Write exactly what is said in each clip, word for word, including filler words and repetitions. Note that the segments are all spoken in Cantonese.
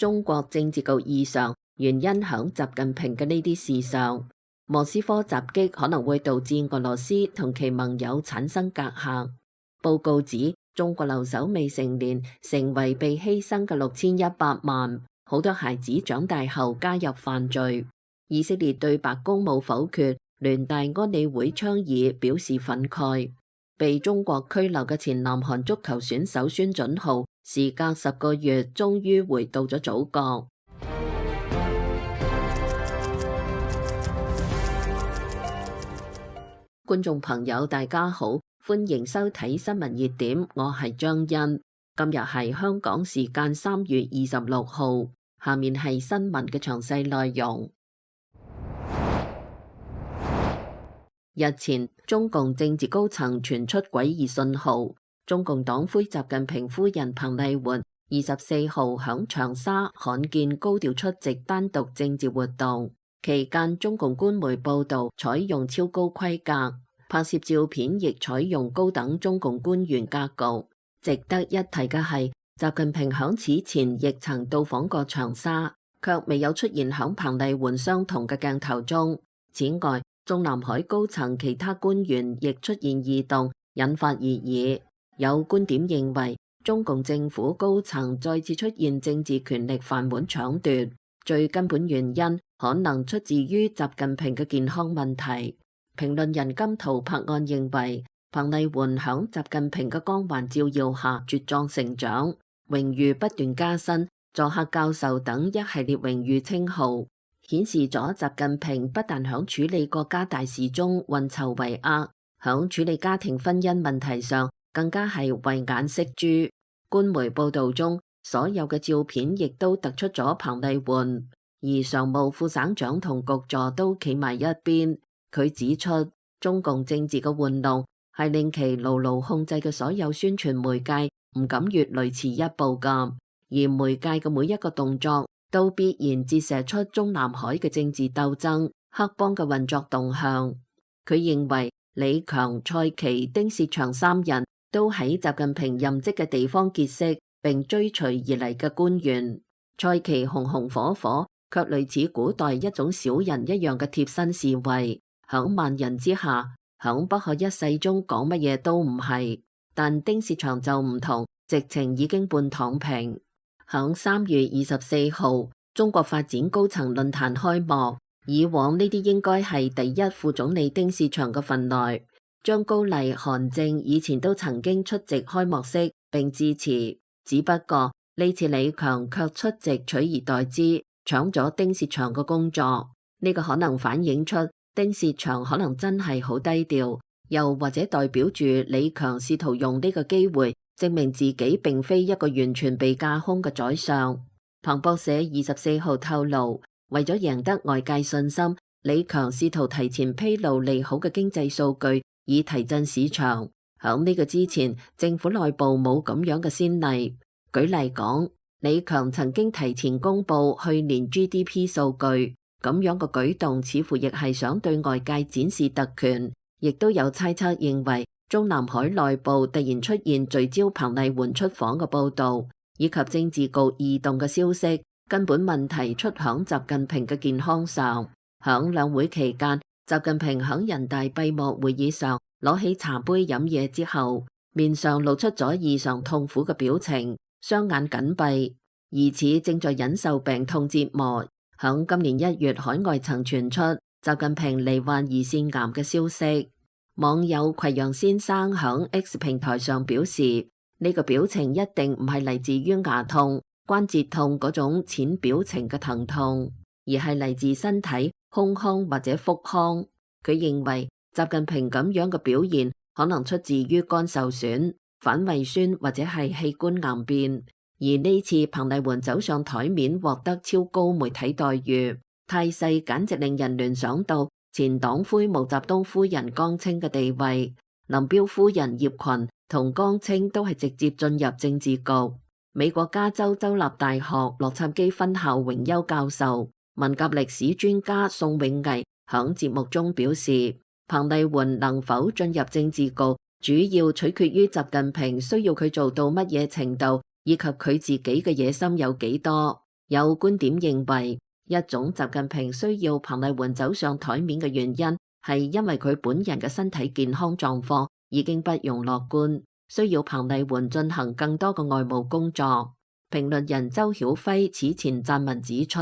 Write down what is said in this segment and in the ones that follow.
中國政治局異常，原因響習近平嘅呢啲事上。莫斯科襲擊可能會導致俄羅斯同其盟友產生隔閡。報告指，中國留守未成年成為被犧牲嘅六千一百萬，好多孩子長大後加入犯罪。以色列對白宮冇否決聯大安理會倡議表示憤慨。被中國拘留嘅前南韓足球選手孫準浩，時隔十個月終於回到咗祖國。觀眾朋友大家好，歡迎收睇新聞熱點，我係張欣。今日係香港時間三月二十六號，下面係新聞嘅詳細內容。日前，中共政治高層傳出詭異信號，中共黨魁習近平夫人彭麗媛二十四號響長沙罕見高調出席單獨政治活動，期間中共官媒報道採用超高規格，拍攝照片亦採用高等中共官員格局。值得一提嘅係，習近平響此前亦曾到訪過長沙，卻未有出現響彭麗媛相同嘅鏡頭中。此外，中南海高層其他官員亦出現異動，引發熱議。有觀點認為，中共政府高層再次出現政治權力飯碗搶奪，最根本原因可能出自於習近平嘅健康問題。評論人金濤拍案認為，彭麗媛響習近平嘅光環照耀下茁壯成長，榮譽不斷加薪，作客教授等一系列榮譽稱號，顯示咗習近平不但響處理國家大事中運籌帷幄，響處理家庭婚姻問題上更加係慧眼識珠。官媒報道中，所有嘅照片亦都突出咗彭麗媛，而常務副省長同局座都企埋一邊。佢指出，中共政治嘅玩弄係令其牢牢控制嘅所有宣傳媒介唔敢越雷池一步㗎，而媒介嘅每一個動作都必然折射出中南海嘅政治鬥爭、黑幫嘅運作動向。佢認為李強、蔡奇、丁薛祥三人都喺習近平任職嘅地方結識並追隨而嚟嘅官員。蔡奇紅紅火火，卻類似古代一種小人一樣嘅貼身侍衛。響萬人之下，響不可一世中講乜嘢都唔係，但丁薛祥就唔同，直情已經半躺平。響三月二十四號，中國發展高層論壇開幕，以往呢啲應該係第一副總理丁薛祥嘅份內，張高麗、韓正以前都曾經出席開幕式並致辭，只不過呢次李強卻出席取而代之，搶咗丁薛祥嘅工作。呢、這個可能反映出丁薛祥可能真係好低調，又或者代表住李強試圖用呢個機會證明自己並非一個完全被架空嘅宰相。彭博社二十四號透露，為咗贏得外界信心，李強試圖提前披露利好嘅經濟數據，以提振市場。響呢個之前，政府內部冇咁樣嘅先例。舉例講，李強曾經提前公布去年 G D P 數據。咁樣嘅舉動似乎亦係想對外界展示特權，亦都有猜測認為中南海內部突然出現聚焦彭麗媛出訪嘅報導，以及政治局異動嘅消息，根本問題出響習近平嘅健康上。響兩會期間，習近平響人大閉幕會議上攞起茶杯飲嘢之後，面上露出咗異常痛苦嘅表情，雙眼緊閉，疑似正在忍受病痛折磨。響今年一月，海外曾傳出習近平罹患胰腺癌嘅消息。網友葵陽先生響 X 平台上表示，呢、這個表情一定唔係嚟自於牙痛、關節痛嗰種淺表情嘅疼痛，而係嚟自身體、胸腔或者腹腔。佢認為習近平咁樣嘅表現可能出自於肝受損、反胃酸或者係器官癌變。而呢次彭麗媛走上台面獲得超高媒體待遇，態勢簡直令人聯想到前黨魁毛澤東夫人江青嘅地位。林彪夫人葉群同江青都係直接進入政治局。美國加州州立大學洛杉磯分校榮休教授、文革歷史專家宋永毅響節目中表示，彭麗媛能否進入政治局，主要取決於習近平需要佢做到乜嘢程度，以及佢自己嘅野心有幾多。有觀點認為，一種習近平需要彭麗媛走上台面嘅原因，係因為佢本人嘅身體健康狀況已經不容樂觀，需要彭麗媛進行更多嘅外務工作。評論人周曉輝此前撰文指出，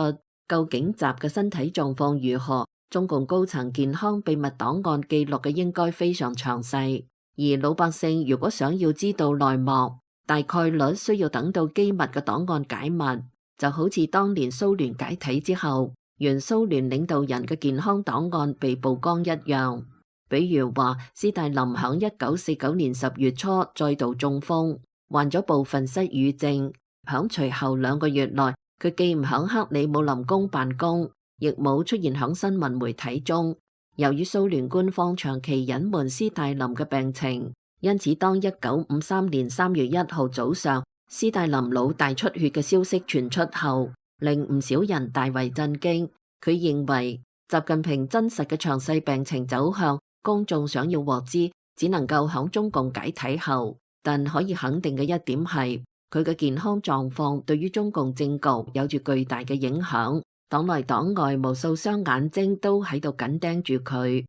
究竟習嘅身體狀況如何，中共高層健康秘密檔案記錄嘅應該非常詳細，而老百姓如果想要知道內幕，大概率需要等到機密嘅檔案解密，就好似當年蘇聯解體之後，原蘇聯領導人嘅健康檔案被曝光一樣。比如話，斯大林響一九四九年十月初再度中風，患咗部分失語症。響隨後兩個月內，佢既唔響克里姆林宮辦公，亦冇出現響新聞媒體中。由於蘇聯官方長期隱瞞斯大林嘅病情，因此當一九五三年三月一號早上斯大林腦大出血嘅消息傳出後，令唔少人大為震驚。佢認為習近平真實嘅詳細病情走向，公眾想要獲知，只能夠響中共解體後。但可以肯定嘅一點係，佢嘅健康狀況對於中共政局有住巨大嘅影響，黨內黨外無數雙眼睛都喺度緊盯住佢。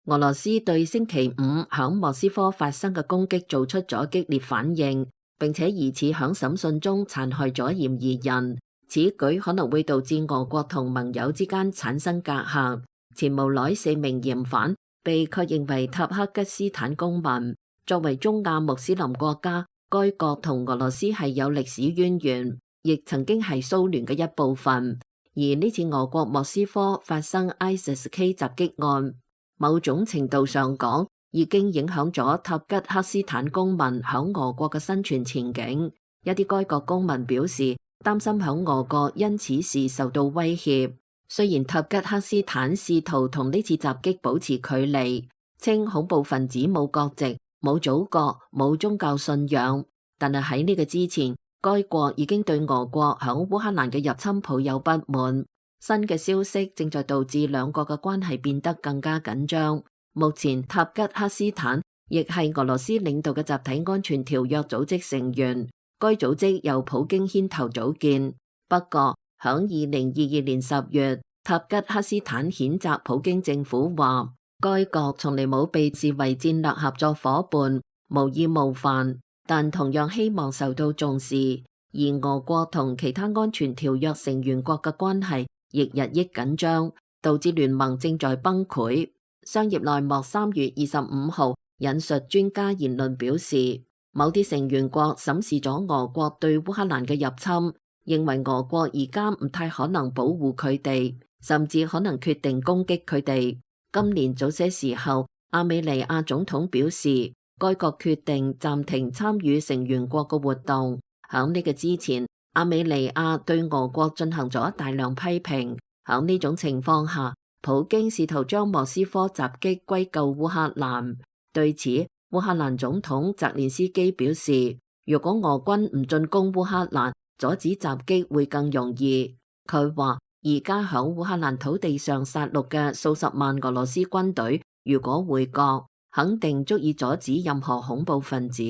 俄羅斯對星期五響莫斯科發生嘅攻擊做出咗激烈反應，並且疑似響審訊中殘害咗嫌疑人。此舉可能會導致俄國同盟友之間產生隔閡。前無來四名嫌犯被確認為塔克吉斯坦公民。作為中亞穆斯林國家，該國同俄羅斯係有歷史淵源，亦曾經係蘇聯嘅一部分。而呢次俄國莫斯科發生 I S I S K 襲擊案，某種程度上講，已經影響咗塔吉克斯坦公民響俄國嘅生存前景。一啲該國公民表示擔心響俄國因此事受到威脅。雖然塔吉克斯坦試圖同呢次襲擊保持距離，稱恐怖分子冇國籍、冇祖國、冇宗教信仰，但係喺呢個之前，該國已經對俄國響烏克蘭嘅入侵抱有不滿。新嘅消息正在導致兩國嘅關係變得更加緊張。目前塔吉克斯坦亦係俄羅斯領導嘅集體安全條約組織成員，該組織由普京牽頭組建。不過響二零二二年十月，塔吉克斯坦譴責普京政府話，該國從嚟冇被視為戰略合作夥伴，無意冒犯，但同樣希望受到重視。而俄國同其他安全條約成員國嘅關係亦日益緊張，導致聯盟正在崩潰。商業內幕三月二十五號引述專家言論表示，某啲成員國審視咗俄國對烏克蘭嘅入侵，認為俄國而家唔太可能保護佢哋，甚至可能決定攻擊佢哋。今年早些時候，亞美尼亞總統表示，該國決定暫停參與成員國嘅活動。響呢個之前，亞美尼亞對俄國進行咗大量批評。響呢種情況下，普京試圖將莫斯科襲擊歸咎烏克蘭。對此，烏克蘭總統澤連斯基表示，如果俄軍唔進攻烏克蘭，阻止襲擊會更容易。佢話，而家響烏克蘭土地上殺戮嘅數十萬俄羅斯軍隊，如果回國，肯定足以阻止任何恐怖分子。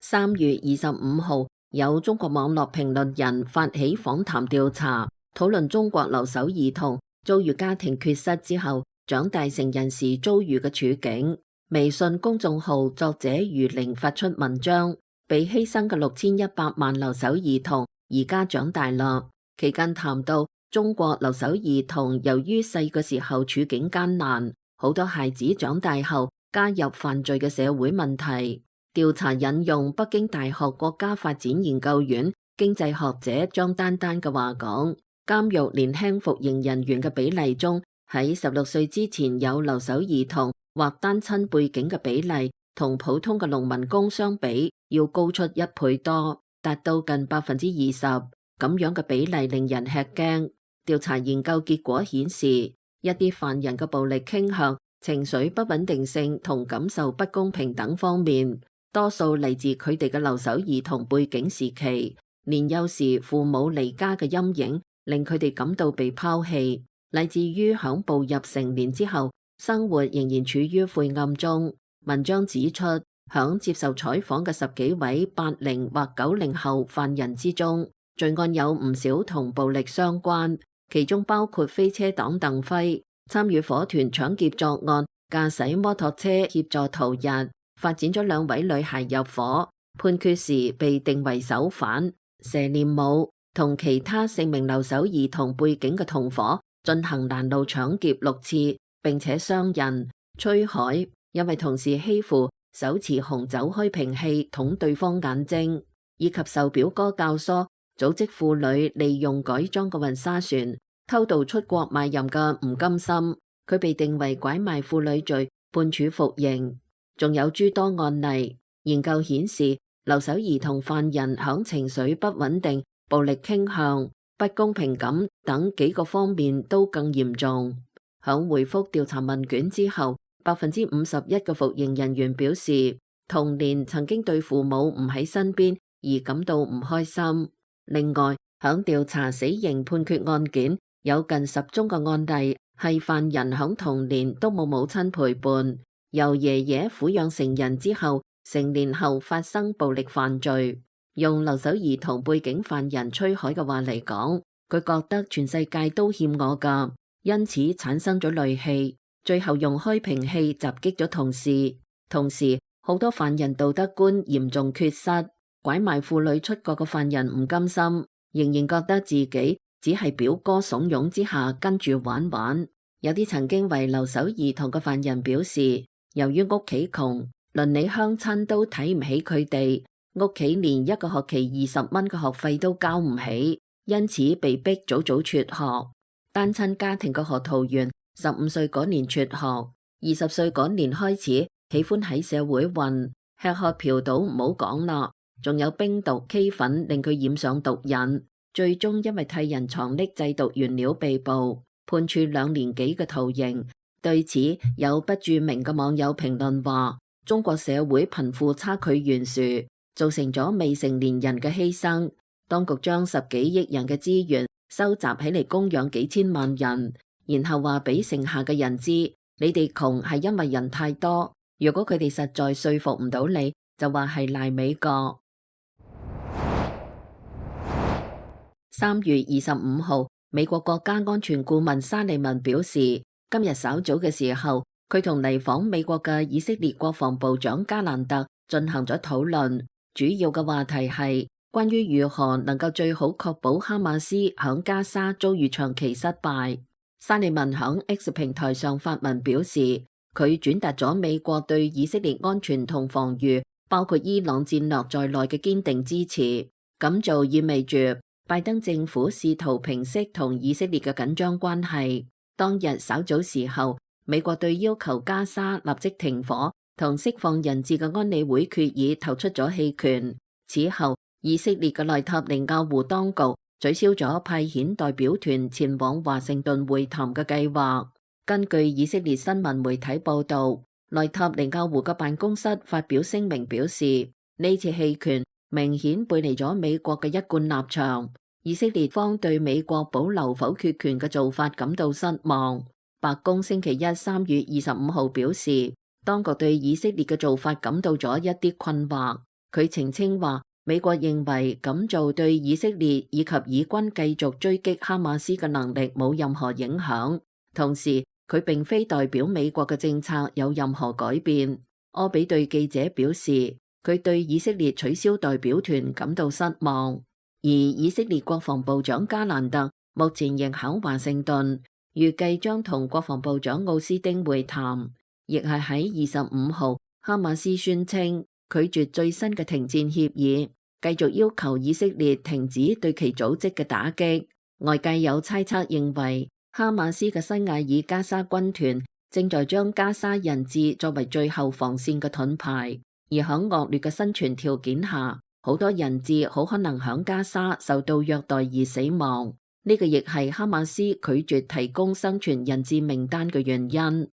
三月二十五號，有中國網絡評論人發起訪談調查，討論中國留守兒童遭遇家庭缺失之後長大成人時遭遇嘅處境。微信公眾號作者余玲發出文章，被犧牲嘅六千一百萬留守兒童而家長大啦。期間談到中國留守兒童由於細個時候處境艱難，好多孩子長大後加入犯罪嘅社會問題。調查引用北京大學國家發展研究院經濟學者張丹丹嘅話講，監獄年輕服刑人員嘅比例中，喺十六歲之前有留守兒童或單親背景嘅比例，同普通嘅農民工相比，要高出一倍多，達到近百分之二十。咁樣嘅比例令人吃驚。調查研究結果顯示，一啲犯人嘅暴力傾向、情緒不穩定性同感受不公平等方面，多數嚟自佢哋嘅留守兒童背景時期。年幼時父母離家嘅陰影，令佢哋感到被拋棄，乃至於響步入成年之後，生活仍然處於晦暗中。文章指出，響接受採訪嘅十幾位八零或九零後犯人之中，罪案有唔少同暴力相關，其中包括飛車黨鄧輝參與夥團搶劫作案，駕駛摩托車協助逃逸，發展咗兩位女孩入伙，判決時被定為首犯。佘念武同其他四名留守兒童背景嘅同伙進行攔路搶劫六次，並且傷人。崔海因為同時欺負手持紅酒開瓶器捅對方眼睛，以及受表哥教唆組織婦女利用改裝嘅運沙船偷渡出國賣淫嘅吳金森，佢被定為拐賣婦女罪，判處服刑。仲有諸多案例，研究顯示留守兒童犯人響情緒不穩定、暴力傾向、不公平感等幾個方面都更嚴重。響回覆調查問卷之後，百分之五十一嘅服刑人員表示，童年曾經對父母唔喺身邊而感到唔開心。另外，響調查死刑判決案件，有近十宗嘅案例係犯人響童年都冇母親陪伴，由爺爺撫養成人之後，成年後發生暴力犯罪。用留守兒童背景犯人崔海嘅話嚟講，佢覺得全世界都欠我㗎，因此產生咗戾氣。最後用開瓶器襲擊咗同事，同時好多犯人道德觀嚴重缺失。拐賣婦女出國嘅犯人吳金森仍然覺得自己只係表哥慫恿之下跟住玩玩。有啲曾經為留守兒童嘅犯人表示，由於屋企窮，鄰里鄉親都睇唔起佢哋，屋企連一個學期二十蚊嘅學費都交唔起，因此被逼早早輟學。單親家庭嘅何桃園十五歲嗰年輟學，二十歲嗰年開始喜歡喺社會混，吃喝嫖賭唔好講啦，仲有冰毒 K 粉令佢染上毒癮，最終因為替人藏匿製毒原料被捕，判處兩年幾嘅徒刑。對此，有不著名嘅網友評論話，中國社會貧富差距懸殊，造成咗未成年人嘅犧牲。當局將十幾億人嘅資源收集起嚟供養幾千萬人，然後話俾剩下嘅人知，你哋窮係因為人太多。如果佢哋實在說服唔到你，就話係賴美國。三月二十五號，美國國家安全顧問沙利文表示，今日稍早嘅時候，佢同嚟訪美國嘅以色列國防部長加蘭特進行咗討論，主要嘅話題係關於如何能夠最好確保哈馬斯響加沙遭遇長期失敗。沙利文響 X 平台上發文表示，佢轉達咗美國對以色列安全同防禦，包括伊朗戰略在內嘅堅定支持。咁做意味住拜登政府試圖平息同以色列嘅緊張關係。當日稍早時候，美國對要求加沙立即停火同釋放人質嘅安理會決議投出咗棄權。此後，以色列嘅內塔尼亞胡當局取消咗派遣代表團前往華盛頓會談嘅計劃。根據以色列新聞媒體報道，內塔尼亞胡嘅辦公室發表聲明表示，呢次棄權明顯背離咗美國嘅一貫立場。以色列方對美國保留否決權嘅做法感到失望。白宮星期一三月二十五號表示，當局對以色列嘅做法感到咗一啲困惑。佢澄清話，美國認為咁做對以色列以及以軍繼續追擊哈馬斯嘅能力冇任何影響。同時，佢並非代表美國嘅政策有任何改變。柯比對記者表示，佢對以色列取消代表團感到失望。而以色列國防部長加蘭特目前仍喺華盛頓，預計將同國防部長奧斯丁會談。亦係喺二十五號，哈馬斯宣稱拒絕最新嘅停戰協議，繼續要求以色列停止對其組織嘅打擊。外界有猜測認為，哈馬斯嘅西艾爾加沙軍團正在將加沙人質作為最後防線嘅盾牌，而喺惡劣嘅生存條件下，好多人質好可能響加沙受到虐待而死亡。呢個亦係哈馬斯拒絕提供生存人質名單嘅原因。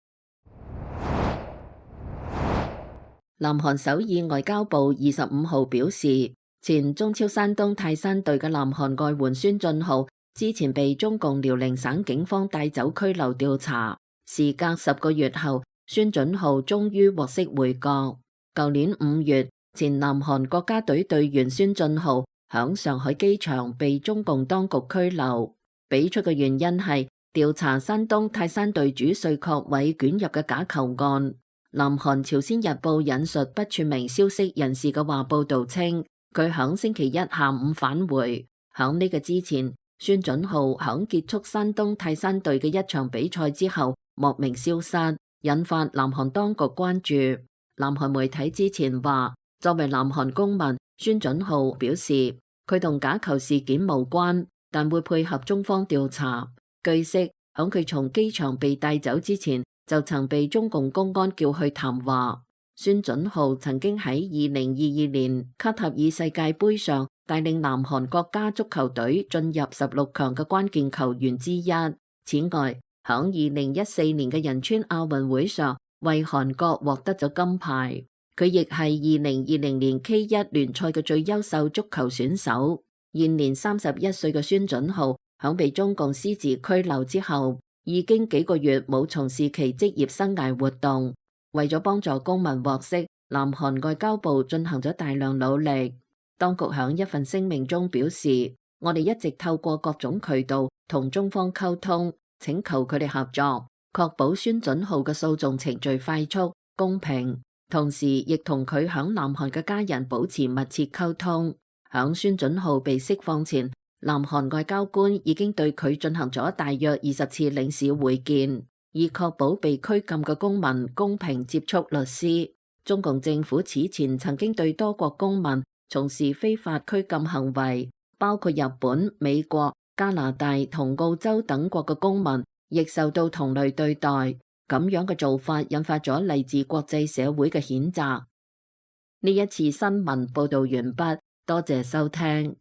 南韓首爾外交部二十五號表示，前中超山東泰山隊嘅南韓外援孫俊浩之前被中共遼寧省警方帶走拘留調查，時隔十個月後，孫俊浩終於獲釋回國。舊年五月，前南韓國家隊隊員孫俊浩響上海機場被中共當局拘留，俾出嘅原因係調查山東泰山隊主帥郝偉捲入嘅假球案。南韓朝鮮日報引述不署名消息人士嘅話報道稱，佢響星期一下午返回。響呢個之前，孫俊浩響結束山東泰山隊嘅一場比賽之後莫名消失，引發南韓當局關注。南韓媒體之前話，作為南韓公民，孫俊浩表示佢同假球事件無關，但會配合中方調查。據悉，響佢從機場被帶走之前，就曾被中共公安叫去談話。孫俊浩曾經喺二零二二年卡塔爾世界盃上帶領南韓國家足球隊進入十六強嘅關鍵球員之一。此外，響二零一四年嘅仁川亞運會上，為韓國獲得咗金牌。佢亦係二零二零年 K 一聯賽嘅最優秀足球選手。現年三十一歲嘅孫俊浩響被中共私自拘留之後，已經幾個月冇從事其職業生涯活動。為咗幫助公民獲釋，南韓外交部進行咗大量努力。當局響一份聲明中表示，我哋一直透過各種渠道同中方溝通，請求佢哋合作，確保孫俊浩嘅訴訟程序快速、公平。同時，亦同佢響南韓嘅家人保持密切溝通。響孫俊浩被釋放前，南韓外交官已經對佢進行咗大約二十次領事會見，以確保被拘禁嘅公民公平接觸律師。中共政府此前曾經對多國公民從事非法拘禁行為，包括日本、美國、加拿大同澳洲等國嘅公民，亦受到同類對待。咁樣嘅做法引發咗嚟自國際社會嘅譴責。呢一次新聞報道完畢，多謝收聽。